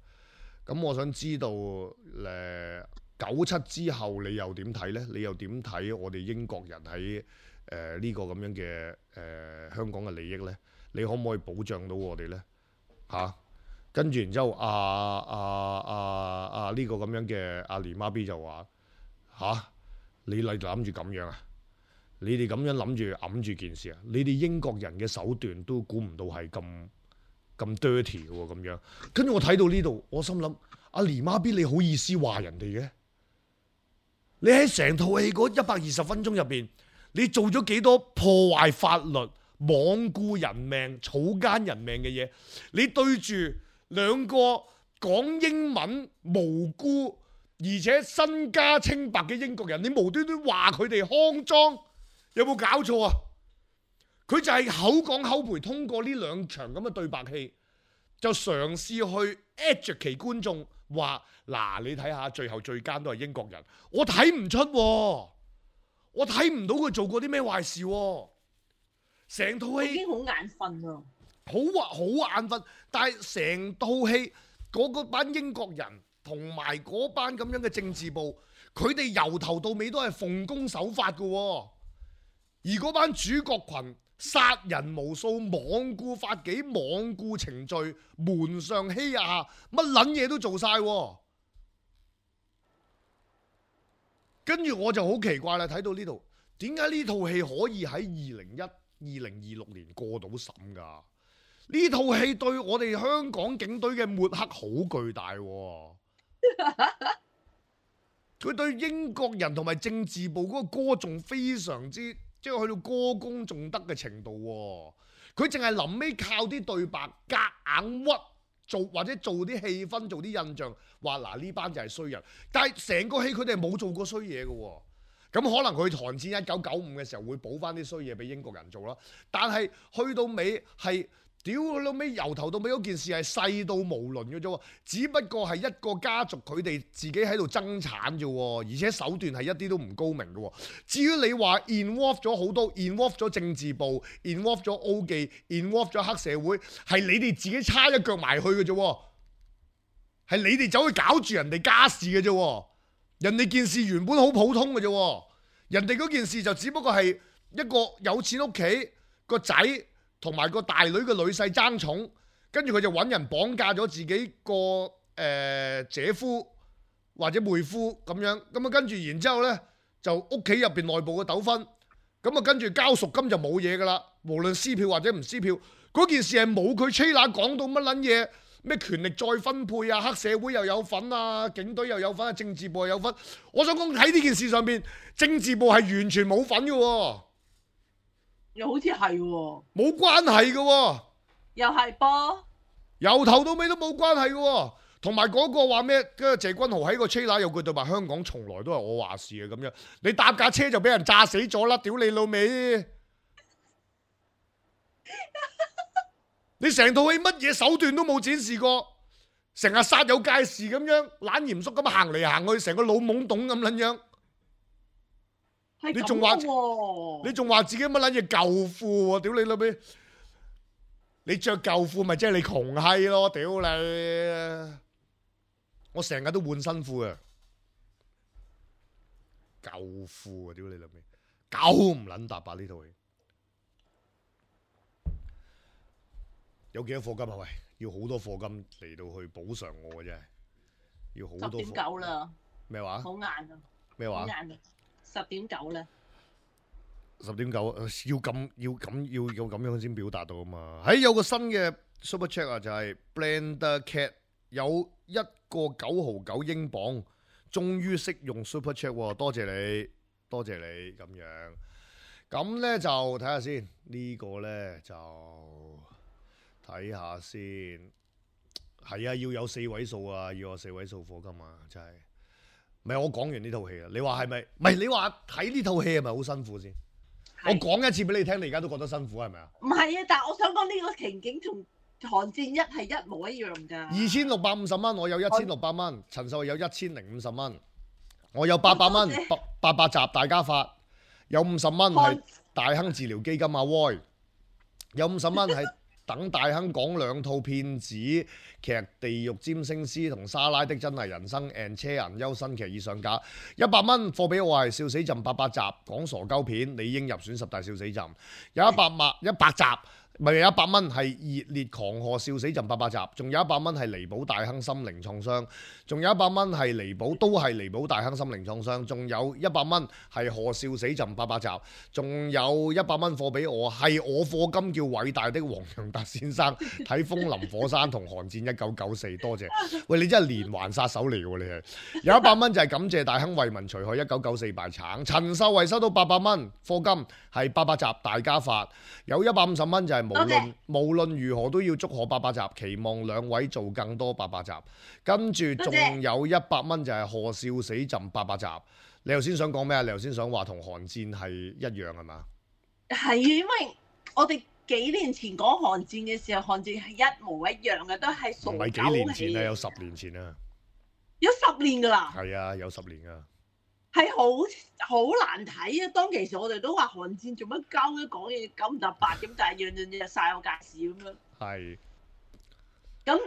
咁我想知道97之後你又點睇呢？你又點睇我哋英國人喺呢個咁樣嘅香港嘅利益呢？你可唔可以保障到我哋呢？跟住然之後呢個咁樣嘅阿黎媽 B 就話你諗住咁樣啊？你哋咁樣諗住揞住件事啊？你哋英國人嘅手段都估唔到係咁 dirty 嘅喎，咁樣。跟住我睇到呢度，我心諗阿黎媽 B 你好意思話人哋嘅？你喺成套戲嗰120分鐘入邊，你做咗幾多破壞法律、罔顧人命、草菅人命嘅嘢？你對住兩個講英文無辜，而且身家清白嘅英國人，你無端端話佢哋骯髒，有冇搞錯啊？佢就係口講口賠，通過呢兩場咁嘅對白戲，就嘗試去 educate 觀眾話：嗱，你睇下最後最奸都係英國人。我睇唔出，我睇唔到佢做過啲咩壞事。成套戲已經好眼瞓啊，好眼瞓。但係成套戲嗰班英國人同埋嗰班咁樣嘅政治部，佢哋由頭到尾都係奉公守法嘅。而嗰班主角群殺人無數，罔顧法紀，罔顧程序，瞞上欺下，乜撚嘢都做晒。跟住我就好奇怪啦，睇到呢度點解呢套戲可以喺2026年過到審㗎？呢套戲對我哋香港警隊嘅抹黑好巨大喎。佢對英國人同埋政治部嗰個歌頌非常之，即係去到歌功頌德嘅程度喎。佢淨係臨尾靠啲對白夾硬屈做，或者做啲氣氛，做啲印象，話嗱呢班就係衰人。但係成個戲佢哋係冇做過衰嘢嘅喎。咁可能佢韓戰1995嘅時候會補翻啲衰嘢俾英國人做啦。但係去到尾係。屌老尾，由頭到尾嗰件事係細到無倫嘅啫，只不過係一個家族佢哋自己喺度爭產啫，而且手段係一啲都唔高明嘅。至於你話 involve 咗好多 involve 咗政治部 involve 咗 O 記 involve 咗黑社會，係你哋自己叉一腳埋去嘅啫，係你哋走去搞住人哋家事嘅啫，人哋件事原本好普通嘅啫，人哋嗰件事就只不過係一個有錢屋企個仔同埋個大女嘅女婿爭寵，跟住佢就揾人綁架咗自己個姐夫或者妹夫咁樣，咁啊跟住然之後呢，就屋企入邊內部嘅糾紛，咁啊跟住交贖金就冇嘢噶啦，無論撕票或者唔撕票，嗰件事係冇佢吹喇講到乜撚嘢，咩權力再分配啊，黑社會又有份啊，警隊又有份啊，政治部又有份。我想講喺呢件事上邊，政治部係完全冇份嘅喎。又好似係喎，冇關係嘅喎，又係噃，由頭到尾都冇關係嘅喎。同埋嗰個話咩？跟住謝君豪喺個車架有句對白，香港從來都係我話事嘅咁樣。你搭架車就俾人炸死咗啦！屌你老味！你成套戲乜嘢手段都冇展示過，成日煞有介事咁樣，懶嚴肅咁行嚟行去，成個老懵懂咁撚樣。你仲話自己乜撚嘢舊褲喎？屌你老味！你着舊褲咪即係你窮閪咯！屌你！我成日都換新褲啊！舊褲啊！屌你老味！九唔撚搭八呢套戲，有幾多課金啊？喂，要好多課金嚟到去補償我嘅真係，要好多。10.9啦。咩話？好晏啊！咩話？10.9咧。10.9要咁樣先表達到啊嘛！有個新嘅 Super Chat 啊，就係 Blender Cat 有1個9.9英鎊，終於識用 Super Chat 喎！多謝你咁樣。咁咧就睇下先，呢個咧就睇下先。係啊，要有4位數啊，要有4位數課金啊，真係。唔係我講完呢套戲啊，你話係咪？唔係你話睇呢套戲係咪好辛苦先？我講一次俾你聽，你而家都覺得辛苦係咪啊？唔係啊，但係我想講呢個情景同寒戰1係一模一樣㗎。2650蚊，我有1600蚊，陳秀有1050蚊，我有800蚊，800集大家發，有50蚊係大亨治療基金阿 Roy， 有50蚊係等大亨講2套騙子劇《地獄占星師》同《莎拉的真係人生》and 車銀優新劇已上架，100蚊貨俾我係笑死朕800集講傻鳩片，理應入選10大笑死朕，有100集。咪有100蚊係熱烈狂賀笑死朕800集，仲有100蚊係彌補大亨心靈創傷，仲有100蚊係彌補大亨心靈創傷，仲有100蚊係賀笑死朕800集，仲有100蚊貨俾我，係我課金叫偉大的黃洋達先生睇《風林火山》同《寒戰1994》，多謝。喂，你真係連環殺手嚟喎，你係。有100蚊就係感謝大亨為民除害1994敗橙，陳秀慧收到800蚊課金係800集大家發，有150蚊就係無論如何都要祝賀800集，期望2位做更多800集。跟住仲有100蚊就係賀笑死朕800集。你頭先想講咩啊？你頭先想話同寒戰係一樣係嘛？係啊，因為我哋幾年前講寒戰嘅時候，寒戰係一模一樣嘅，都係傻狗氣。唔係幾年前啊，有10年前啊。有10年㗎啦。係啊，有10年㗎。係好難睇啊！當其時我哋都話寒戰做乜鳩嘅，講嘢9唔搭8咁，但係樣樣嘢曬有介事咁樣。係。咁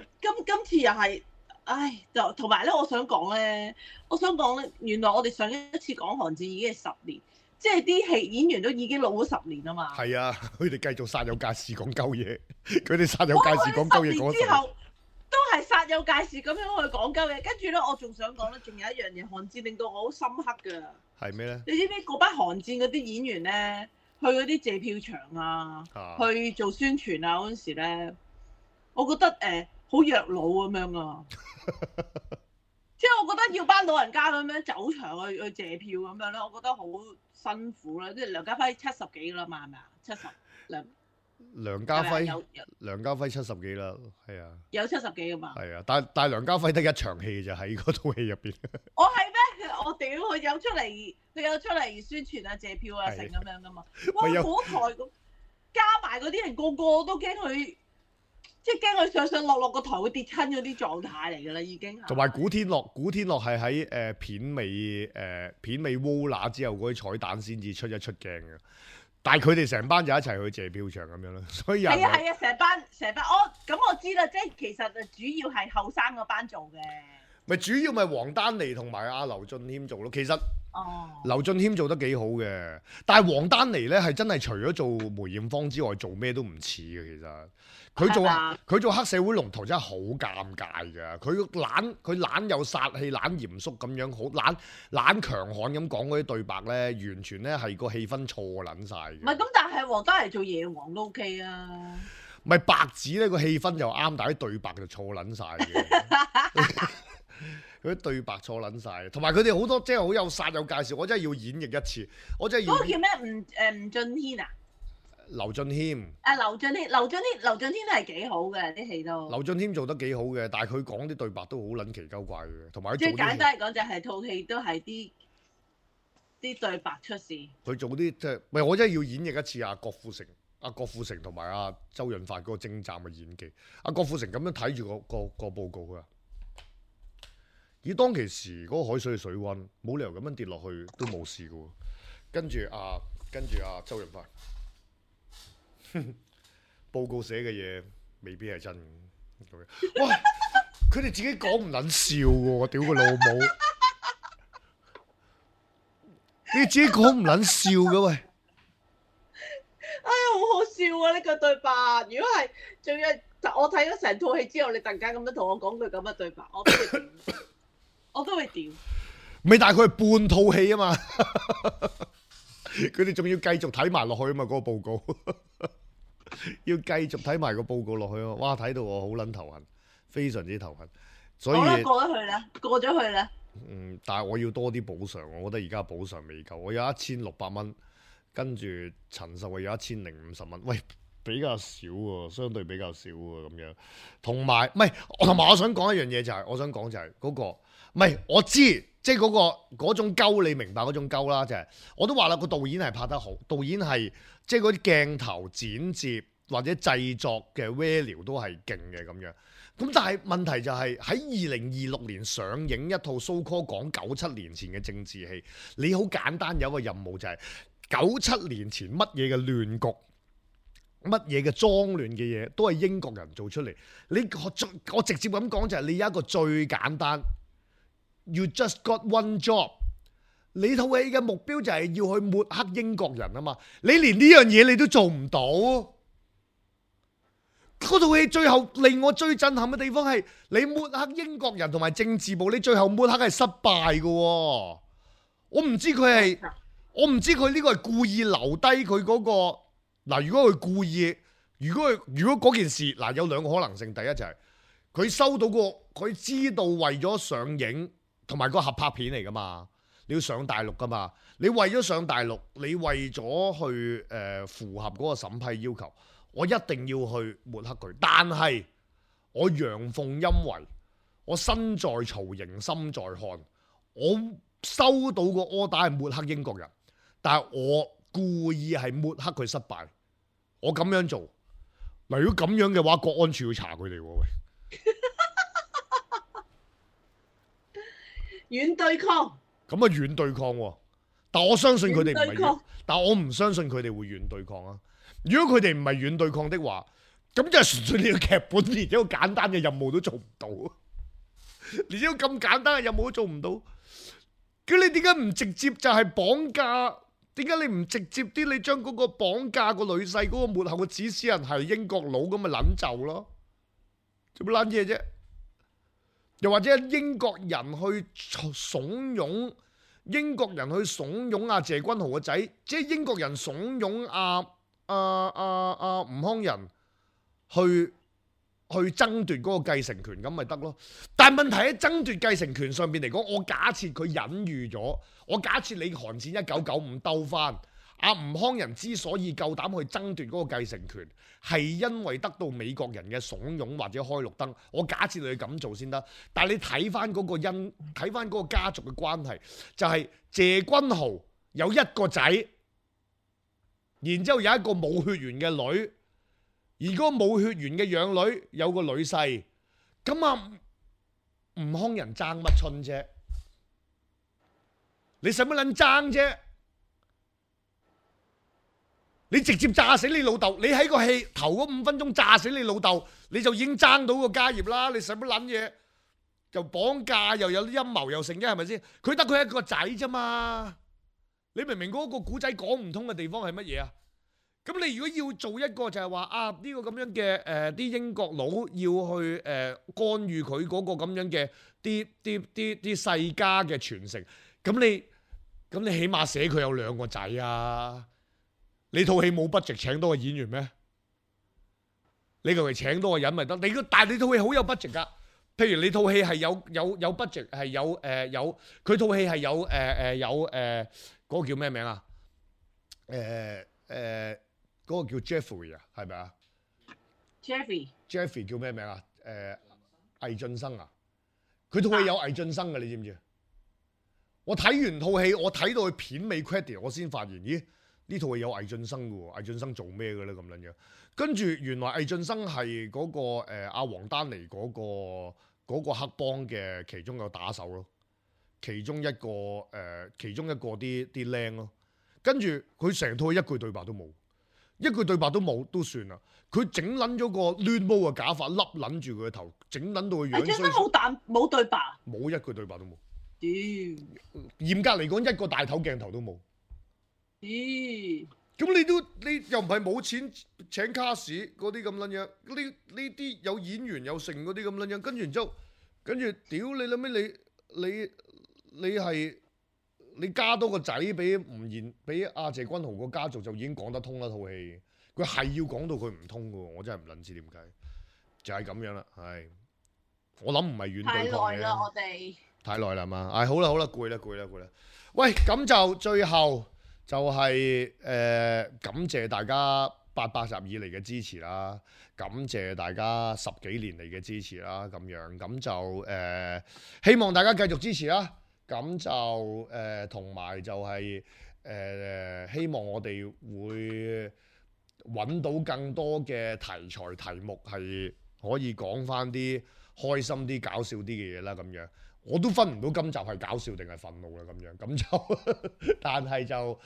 今次又係，唉，就同埋咧，我想講咧，原來我哋上一次講寒戰已經係10年，即係啲戲演員都已經老咗10年啊嘛。係啊，佢哋繼續煞有介事講鳩嘢，佢哋煞有介事講鳩嘢講之後。都係煞有介事咁樣去講鳩嘢，跟住咧，我仲想講咧，仲有一樣嘢，寒戰令到我好深刻㗎。係咩咧？你知唔知嗰班寒戰嗰啲演員咧，去嗰啲借票場啊，去做宣傳啊嗰陣時咧，我覺得好弱佬咁樣啊！即係我覺得要班老人家咁樣走場去借票咁樣咧，我覺得好辛苦啦。即係梁家輝70幾啦嘛，係咪啊？70梁家輝梁家輝70幾啦，係啊，有70幾噶嘛？係啊，但係梁家輝得一場戲就喺嗰套戲入邊。我係咩？我屌佢有出嚟宣傳啊、借票啊成咁樣噶嘛？哇！嗰台咁加埋嗰啲人個個都驚佢。即係驚佢上上落落個台會跌親嗰啲狀態嚟㗎啦，已經。同埋古天樂係喺片尾窩拿之後嗰啲彩蛋先至出一出鏡嘅，但係佢哋成班就一齊去借票場咁樣咯，所以係啊，成班我知啦，即係其實主要係後生嗰班做嘅。咪主要咪黃丹妮同埋阿劉俊謙做咯，其實劉俊謙做得幾好嘅，但係黃丹妮咧係真係除咗做梅艷芳之外，做咩都唔似嘅。其實佢做黑社會龍頭真係好尷尬㗎，佢懶有殺氣，懶嚴肅咁樣，好懶強悍咁講嗰啲對白咧，完全咧係個氣氛錯撚晒嘅。唔係咁，但係黃丹妮做夜王都 OK 啊。咪白紙咧個氣氛又啱，但係啲對白就錯撚晒嘅。佢啲對白錯撚晒，同埋佢哋好多即係好有殺有介紹，我真係要演繹一次，我真係要。嗰個叫咩？吳俊軒啊？劉俊謙。劉俊謙都係幾好嘅啲戲都。劉俊謙做得幾好嘅，但係佢講啲對白都好撚奇鳩怪嘅，同埋最簡單嚟講就係套戲都係啲對白出事。佢做啲即係，唔係我真係要演繹一次啊！郭富城同埋阿周潤發嗰個精湛嘅演技。阿郭富城咁樣睇住個報告佢話。以當其時嗰個海水嘅水溫，冇理由咁樣跌落去都冇事嘅喎。跟住周潤發，報告寫嘅嘢未必係真嘅。哇！佢哋自己講唔撚笑嘅，我屌佢老母！你自己講唔撚笑嘅喂！哎呀，好好笑啊！呢個對白，如果係仲要我睇咗成套戲之後，你突然間咁樣同我講句咁嘅對白，我都會屌，未，但係佢係半套戲啊嘛，佢哋仲要繼續睇埋落去啊嘛，嗰個報告要繼續睇埋個報告落去啊！哇，睇到我好撚頭痕，非常之頭痕。所以過咗去啦。但係我要多啲補償，我覺得而家補償未夠，我有1600蚊，跟住陳秀慧有1050蚊，喂，比較少喎，相對比較少喎咁樣。同埋我想講一樣嘢就係，我想講就係嗰個。唔係，我知，即係嗰種鳩，你明白嗰種鳩啦，就係我都話啦，個導演係拍得好，導演係即係嗰啲鏡頭剪接或者製作嘅 value 都係勁嘅咁樣。咁但係問題就係喺2026年上映一套 so call 講97年前嘅政治戲，你好簡單有一個任務就係97年前乜嘢嘅亂局，乜嘢嘅髒亂嘅嘢都係英國人做出嚟。我直接咁講就係你有一個最簡單。You just got one job。你套戲嘅目標就係要去抹黑英國人啊嘛！你連呢樣嘢你都做唔到。嗰套戲最後令我最震撼嘅地方係你抹黑英國人同埋政治部，你最後抹黑係失敗嘅。我唔知佢呢個係故意留低佢嗰個嗱。如果佢故意，如果嗰件事嗱有兩個可能性，第一就係佢收到佢知道為咗上映。同埋個合拍片嚟噶嘛，你要上大陸噶嘛，你為咗上大陸，你為咗去符合嗰個審批要求，我一定要去抹黑佢。但係我陽奉陰違，我身在曹營心在漢，我收到個 order 係抹黑英國人，但係我故意係抹黑佢失敗，我咁樣做。嗱，如果咁樣嘅話，國安處要查佢哋喎喂。軟對抗，咁啊軟對抗喎，但我相信佢哋唔係，但我唔相信佢哋會軟對抗啊！如果佢哋唔係軟對抗的話，咁就係純粹你個劇本連一個簡單嘅任務都做唔到，連一個咁簡單嘅任務都做唔到，咁你點解唔直接就係綁架？點解你唔直接啲？你將嗰個綁架個女婿嗰個幕後嘅指使人係英國佬咁咪撚就咯？做乜撚嘢啫？又或者英國人去慫恿英國人去慫恿阿謝君豪個仔，即係英國人慫恿吳康仁去爭奪嗰個繼承權，咁咪得咯。但係問題喺爭奪繼承權上邊嚟講，我假設佢隱喻咗，我假設你韓戰1995兜翻，阿吳康仁之所以夠膽去爭奪嗰個繼承權，係因為得到美國人嘅慫恿或者開綠燈。我假設你咁做先得，但係你睇翻嗰個睇翻嗰個家族嘅關係，就係謝君豪有一個仔，然之後有一個冇血緣嘅女。而嗰個冇血緣嘅養女有個女婿，咁啊吳康仁爭乜春啫？你使乜撚爭啫？你直接炸死你老豆，你喺個戲頭嗰5分鐘炸死你老豆，你就已經爭到個家業啦！你使乜撚嘢？又綁架又有啲陰謀又成嘅係咪先？佢得佢一個仔啫嘛！你明明嗰個古仔講唔通嘅地方係乜嘢啊？咁你如果要做一個就係話啊呢個咁樣嘅啲英國佬要去干預佢嗰個咁樣嘅啲世家嘅傳承，咁你起碼寫佢有2個仔啊！你套戲冇 budget 請多個演員咩？你求其請多個人咪得？但係你套戲好有 budget 㗎。譬如你套戲係有 budget 係有佢套戲係有嗰個叫咩名啊？嗰個叫 Jeffrey 啊，係咪啊 ？Jeffrey 叫咩名啊？魏浚笙啊，佢套戲有魏浚笙嘅，你知唔知？我睇完套戲，我睇到佢片尾 credit， 我先發現，咦？呢套戲有魏浚笙嘅喎，魏浚笙做咩嘅咧咁撚樣？跟住原來魏浚笙係嗰個阿黃丹妮嗰個黑幫嘅其中一個打手咯，其中一個啲靚咯。跟住佢成套一句對白都冇。一句對白都冇都算啦，佢整撚咗個亂毛嘅假髮，笠撚住佢嘅頭，整撚到佢樣衰。真冇對白，冇一句對白都冇。嚴格嚟講，一個大頭鏡頭都冇。咁你又唔係冇錢請卡士嗰啲咁撚樣，呢啲有演員有成嗰啲咁撚樣，跟住然之後，屌你諗咩？你係。你加多個仔俾吳彥，俾阿謝君豪個家族就已經講得通啦套戲，佢係要講到佢唔通嘅喎，我真係唔撚知點解，就係咁樣啦，係，我諗唔係遠對抗嘅。太耐啦，我哋太耐啦嘛，好啦，攰啦，喂，咁就最後就係感謝大家800集以嚟嘅支持啦，感謝大家10幾年嚟嘅支持啦，咁樣咁就希望大家繼續支持啦。咁就同埋就係希望我哋會揾到更多嘅題材題目，係可以講翻啲開心啲、搞笑啲嘅嘢啦。咁樣我都分唔到今集係搞笑定係憤怒啦。咁就但係就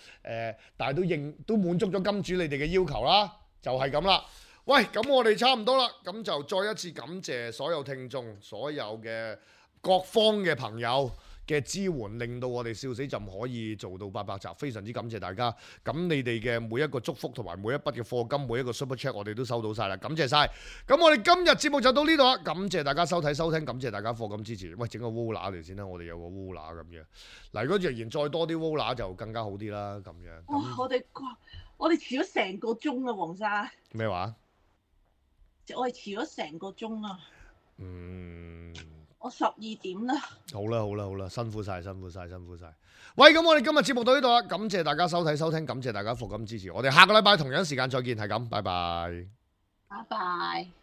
但係都滿足咗金主你哋嘅要求啦，就係咁啦。喂，咁我哋差唔多啦，咁就再一次感謝所有聽眾、所有嘅各方嘅朋友嘅支援，令到我哋笑死朕可以做到800集，非常之感謝大家。咁你哋嘅每一個祝福同埋每一筆嘅課金，每一個 super chat 我哋都收到晒啦，感謝晒。咁我哋今日節目就到呢度啦，感謝大家收睇收聽，感謝大家課金支持。喂，整個 Wola 嚟先啦，我哋有個 Wola 咁樣。嗱，如果若然再多啲 Wola 就更加好啲啦，咁樣。哇！我哋遲咗成個鐘啊，黃生。咩話？我哋遲咗成個鐘啊。我12點啦。好啦，辛苦晒。喂，咁我哋今日節目到呢度啦，感謝大家收睇收聽，感謝大家課金支持。我哋下個禮拜同樣時間再見，係咁，拜拜。拜拜。